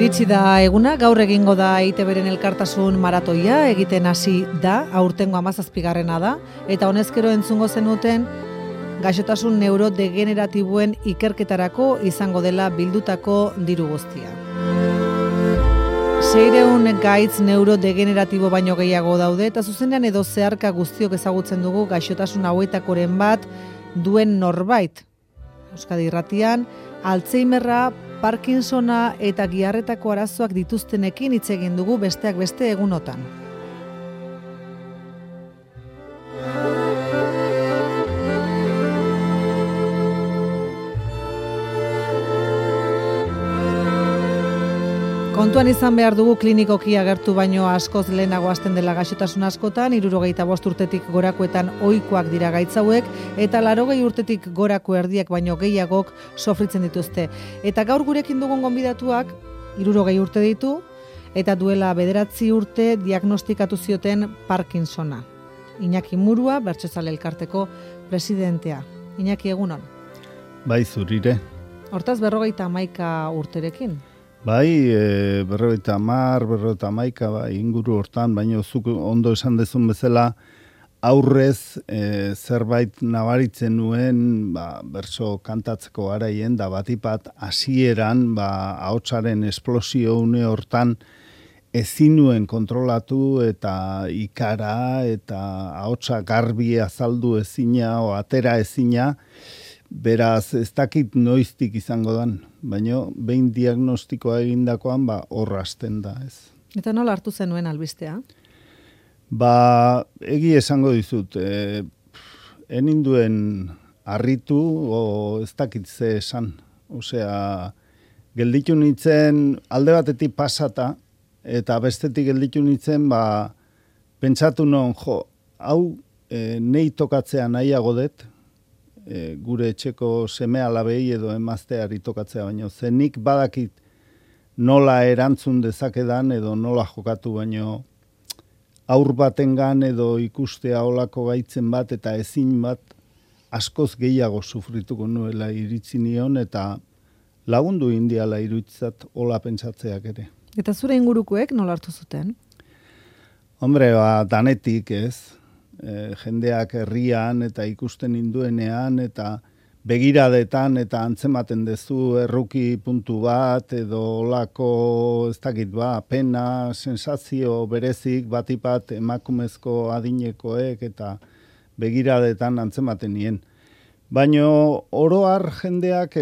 Iritsi da eguna, gaur egingo da EITBren elkartasun maratoia, egiten hasi da, aurtengo 17. da, eta honezkero entzungo zenuten gaixotasun neurodegeneratiboen ikerketarako izango dela bildutako diru guztia. 600 gaitz neurodegeneratibo baino gehiago daude, eta zuzenean edo zeharka guztiok ezagutzen dugu gaixotasun hauetakoren bat duen norbait. Euskadi Irratian, Alzheimerra, Parkinsona eta giharretako arazoak dituztenekin hitz egin dugu besteak beste egunotan. Kontuan izan behar dugu klinikoki agertu baino askoz lehenago hasten dela gaixotasun askotan, 65 urtetik gorakoetan ohikoak dira gaitz hauek, eta 80 urtetik gorako erdiak baino gehiagok sofritzen dituzte. Eta gaur gurekin dugun gonbidatuak 60 urte ditu, eta duela 9 urte diagnostikatu zioten Parkinsona. Iñaki Murua, Bertsozale Elkarteko presidentea. Iñaki, egunon. Bai, zurire. Hortaz 51 urterekin. Bai, 51, bai, inguru hortan, baina zuk ondo esan dezun bezala, aurrez zerbait nabaritzen nuen, bertso kantatzeko garaien, da batipat hasieran, ahotsaren esplosio une hortan, ezin nuen kontrolatu eta ikara eta ahotsa garbi azaldu ezina o atera ezina, beraz ez dakit noiztik izango dan, baina behin diagnostikoa egindakoan hor hasten da, ez. Eta nola hartu zenuen albistea? Egi esango dizut, eninduen harritu o ez dakit ze esan. Osea, gelditu nintzen alde batetik pasata, eta bestetik gelditu nintzen, pentsatu non, hau nei tokatzea nahiago dut, gure etxeko seme alabei edo emazteari tokatzea, baino zenik badakit nola erantzun dezakedan edo nola jokatu, baino aur batengan edo ikustea olako gaitzen bat eta ezin bat askoz gehiago sufrituko nuela iritzi nion eta lagundu indiala iruditzat hola pentsatzeak ere. Eta zure ingurukoek nola hartu zuten? Hombre, danetik ez. Jendeak herrian eta ikusten induenean eta begiradetan eta antzematen dezu erruki puntu bat edo olako ez dakit pena, sensazio berezik batipat emakumezko adinekoek eta begiradetan antzematen nien. Baina oroar jendeak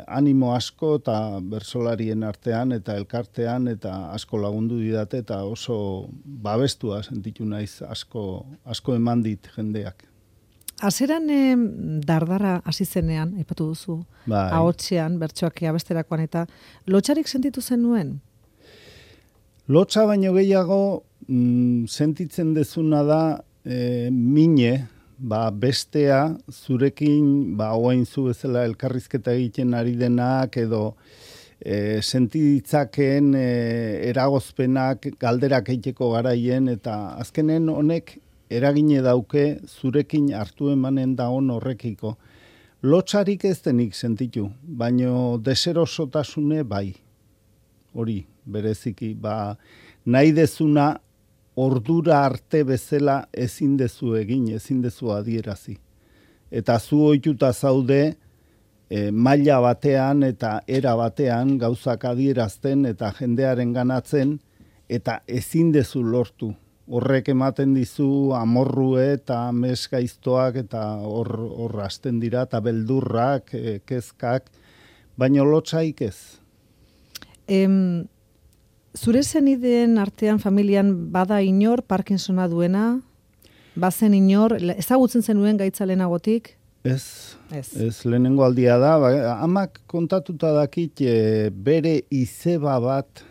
animo asko eta bertsolarien artean eta elkartean eta asko lagundu didate eta oso babestua sentitu naiz asko eman dit jendeak. Hasieran dardarra hasi zenean, aipatu duzu, ahotsean, bertsoak abesterakoan eta lotsarik sentitu zenuen? Lotsa baino gehiago sentitzen dezuna da mine, bestea zurekin oain zu bezala elkarrizketa egiten ari denak edo sentitzakeen eragozpenak galderak egiteko garaien eta azkenen honek eragine dauke zurekin hartu emanen da horrekiko. Lotsarik ez denik sentitu, baino deserosotasune bai. Hori, bereziki, nahi dezuna ordura arte bezala ezin dezu egin, ezin dezu adierazi. Eta zu ohituta zaude maila batean eta era batean gauzak adierazten eta jendearen ganatzen eta ezin dezu lortu. Horrek ematen dizu amorrue eta mesgaiztoak eta hor hasten dira eta beldurrak, kezkak, baina lotsaik ez. Zure zenideen artean familian bada inor Parkinsona duena? Bazen inor? Ezagutzen zenuen gaitza lehenagotik? Ez lehenengo aldia da. Amak kontatuta dakit bere izeba bat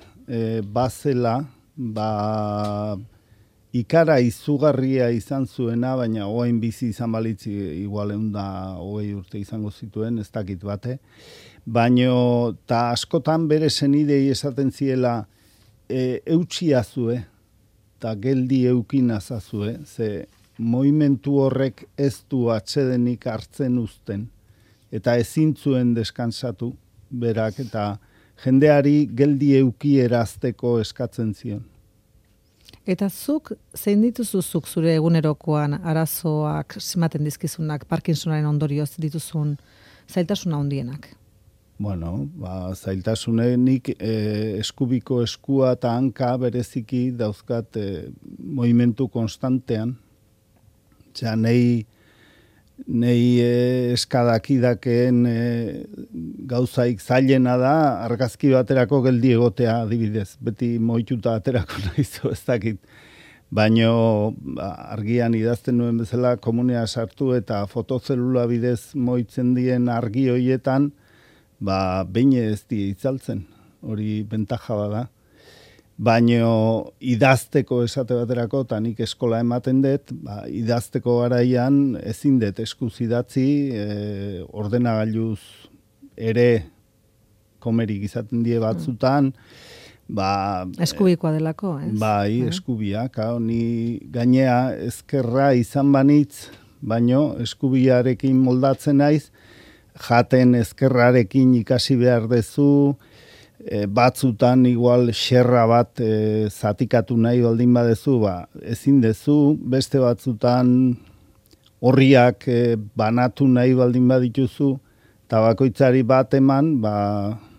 bazela, ikara izugarria izan zuena, baina oain bizi izan balitzi igual 120 urte izango zituen, ez dakit bate. Baina ta askotan bere zenidei esaten ziela eutxia zue, eta geldi eukinaz azue, ze moimentu horrek ez du atsedenik hartzen uzten, eta ezin zuen deskansatu berak, eta jendeari geldi eukierazteko eskatzen zion. Eta zuk, zein dituzuzuk zure egunerokoan arazoak simaten dizkizunak, Parkinsonaren ondorioz dituzun zailtasuna handienak? Bueno, zailtasunenik eskubiko eskua eta hanka bereziki dauzkat movimentu konstantean. Osea, nei eskadakidakeen gauzaik zailena da argazki baterako geldi egotea adibidez. Beti moituta aterako naizu ez dakit. Baino argian idazten nuen bezala komunea sartu eta fotozelula bidez moitzen dien argi hoietan behin ez die itzaltzen, hori bentaja bada. Baino idazteko esate baterako, eta nik eskola ematen dut, idazteko garaian ezin dut eskuz idatzi, ordenagailuz ere komerik izaten die batzutan, eskubikoa delako, ez? Bai, eskubiak, ni gainea ezkerra izan banitz, baino eskubiarekin moldatzen naiz, jaten ezkerrarekin ikasi behar dezu, batzutan igual xerra bat zatikatu nahi baldin badezu, ezin dezu, beste batzutan horriak banatu nahi baldin badituzu, eta bakoitzari bat eman,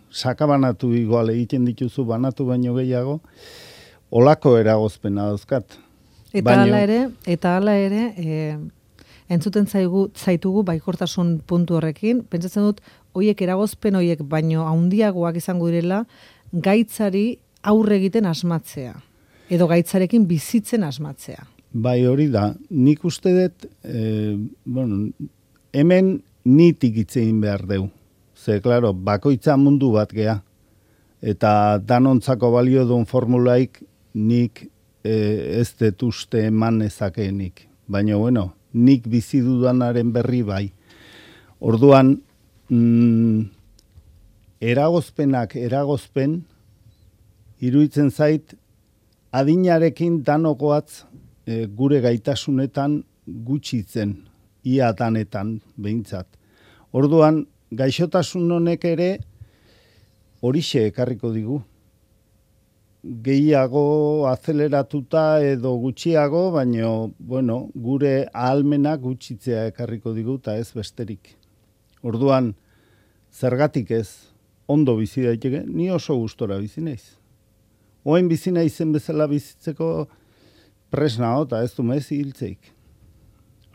sakabanatu igual egiten dituzu banatu baino gehiago, olako eragozpena dauzkat. Eta hala ere, entzuten zaitugu baikortasun puntu horrekin, pentsatzen dut, hoiek eragozpen hoiek baino handiagoak izango direla, gaitzari aurre egiten asmatzea, edo gaitzarekin bizitzen asmatzea. Bai, hori da, nik uste dut, hemen nitik itzein behar deu. Ze, klaro, bakoitza mundu bat gea. Eta danontzako balio duen formulaik nik ez dut uste eman ezakeenik. Baina, nik bizi dudanaren berri bai. Orduan, eragozpen, iruditzen zait, adinarekin danokoatz gure gaitasunetan gutxitzen, ia danetan behintzat. Orduan, gaixotasun honek ere horixe ekarriko digu. Gehiago azeleratuta edo gutxiago, baino, gure ahalmenak gutxitzea ekarriko digu eta ez besterik. Orduan, zergatik ez, ondo bizi daiteke, ni oso gustora bizi naiz. Oen bizi naizen bezala bizitzeko presna eta ez du mezi hiltzeik.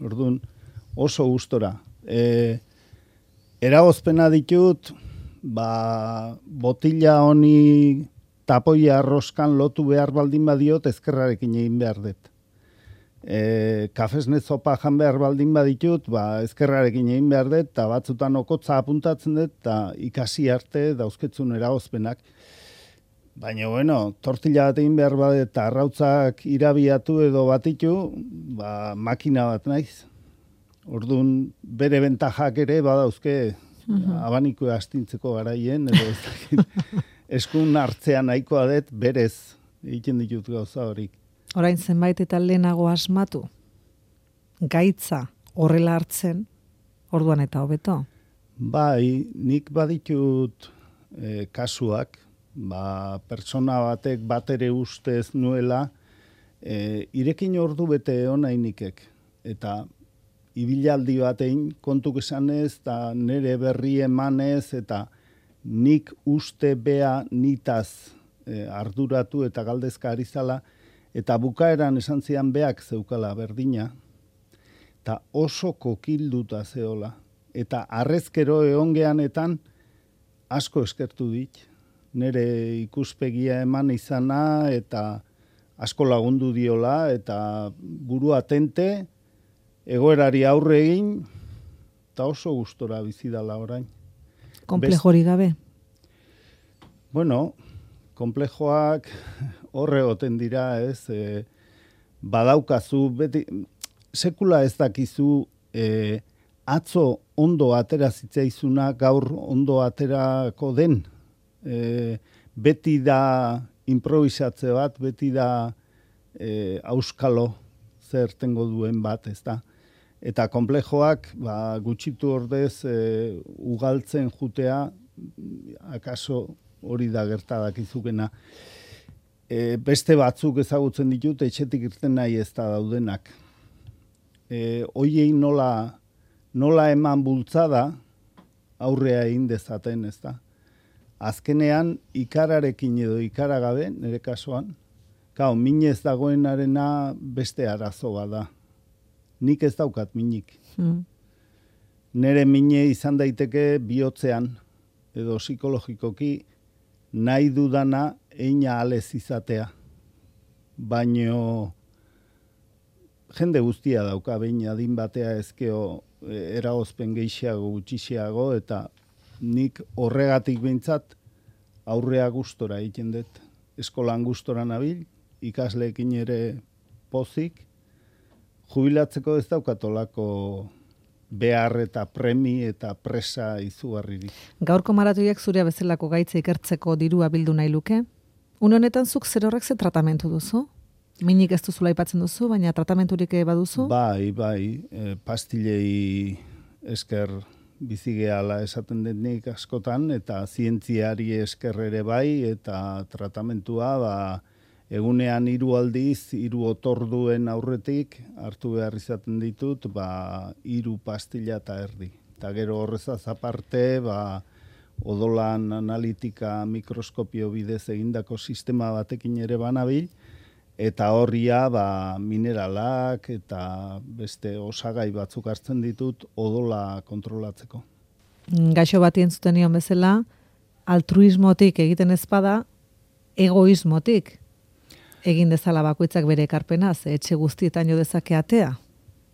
Orduan, oso gustora. Eragozpena ditut, botila honi tapoia arroskan lotu behar baldin badiot ezkerrarekin egin behar dut. Kafesne zopa jan behar baldin baditut, ezkerrarekin egin behar dut, eta batzutan okotza apuntatzen dut, eta ikasi arte dauzketzun eragozpenak. Baina, tortilla bat egin behar badet, eta arrautzak irabiatu edo batitu, makina bat naiz. Orduan, bere bentajak ere badauzke abaniko astintzeko garaien, edo eskun hartzean nahikoa dut, berez egiten ditut gauza horik. Orain zenbait eta lehenago asmatu, gaitza horrela hartzen, orduan eta hobeto? Bai, nik baditut kasuak, pertsona batek batere ustez nuela, irekin ordu bete onainikek, eta ibilaldi batein kontuk esanez, eta nire berri emanez, eta nik uste bea nitaz arduratu eta galdezka ari zala, eta bukaeran esan zian beak zeukala berdina, eta oso kokilduta zeola. Eta arrezkero egongeanetan asko eskertu dit. Nire ikuspegia eman izana eta asko lagundu diola eta buru atente, egoerari aurre egin, eta oso gustora bizidala orain. Komplejori gabe? Komplejoak horre goten dira, ez? Badaukazu, beti, sekula ez dakizu, atzo ondo atera zitzaizuna, gaur ondo aterako den. Beti da improvisatze bat, beti da auskalo zertengo duen bat, ez da? Eta komplejoak gutxitu ordez ugaltzen jutea, akaso hori da gerta dakizukena. Beste batzuk ezagutzen ditut, etxetik irten nahi ez da daudenak. Hoiei nola eman bultzada aurrea egin dezaten, ez da. Azkenean, ikararekin edo ikaragabe, nire kasuan, minez dagoenarena beste arazo bada. Nik ez daukat minik. Nere mine izan daiteke bihotzean, edo psikologikoki, nahi dudana eina alez izatea. Baino jende guztia dauka, behin adin batea ezkeo eragozpen gehiago, gutxiago, eta nik horregatik behintzat aurrea gustora egiten dut. Eskolan gustora nabil, ikasleekin ere pozik, jubilatzeko ez daukatolako behar eta premi eta presa izugarririk. Gaurko maratoiak zurea bezalako gaitza ikertzeko dirua bildu nahi luke? Une honetan zuk zer horrek ze tratamentu duzu? Minik ez duzula aipatzen duzu, baina tratamenturik baduzu? Bai, pastilei esker bizigeala esaten denik askotan, eta zientziari esker ere bai, eta tratamentua egunean 3 aldiz, 3 otorduen aurretik hartu behar izaten ditut, 3 pastilla eta erdi. Eta gero horrezaz aparte, odolan analitika mikroskopio bidez egindako sistema batekin ere banabil, eta horria mineralak eta beste osagai batzuk hartzen ditut odola kontrolatzeko. Gaixo bati entzuten nion bezala, altruismotik egiten ezpada, egoismotik egin dezala bakoitzak bere ekarpenaz, etxe guztietan jo dezake atea.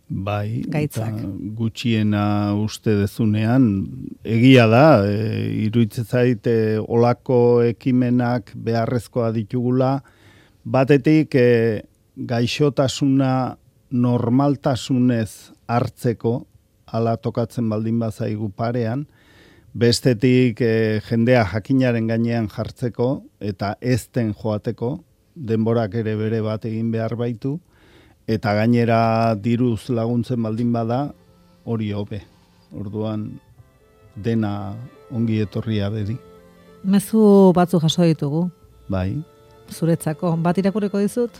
Bai, gaitzak. Gutxiena uste dezunean, egia da, iruditzen zait olako ekimenak beharrezkoa ditugula, batetik gaixotasuna normaltasunez hartzeko, hala tokatzen baldin bazaigu parean, bestetik jendea jakinaren gainean jartzeko eta ezten joateko, denborak ere bere bat egin behar baitu, eta gainera diruz laguntzen baldin bada, hori hobe. Orduan dena ongi etorria bedi. Mezu batzu jaso ditugu. Bai. Zuretzako, bat irakurriko dizut?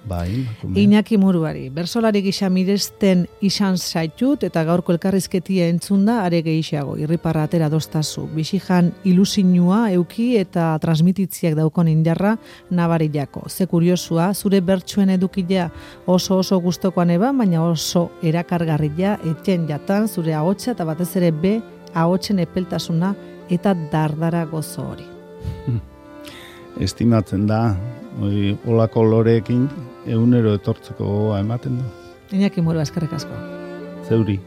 Bai. Iñaki Muruari, bersolari gisa miresten izan zaitut eta gaurko elkarrizketia entzunda are gehiago, irriparra atera doztazu. Bixijan ilusinua euki eta transmititziak daukon indarra nabarilako. Ze kuriosua, zure bertsuen edukilea oso gustokoan eban, baina oso erakargarria etxen jatan zure ahotsa eta batez ere ahotsen epeltasuna eta dardara gozo hori. Estimatzen da, olako loreekin egunero etortzeko gogoa ematen du. Iñaki Muru, eskerrik asko. Zeuri.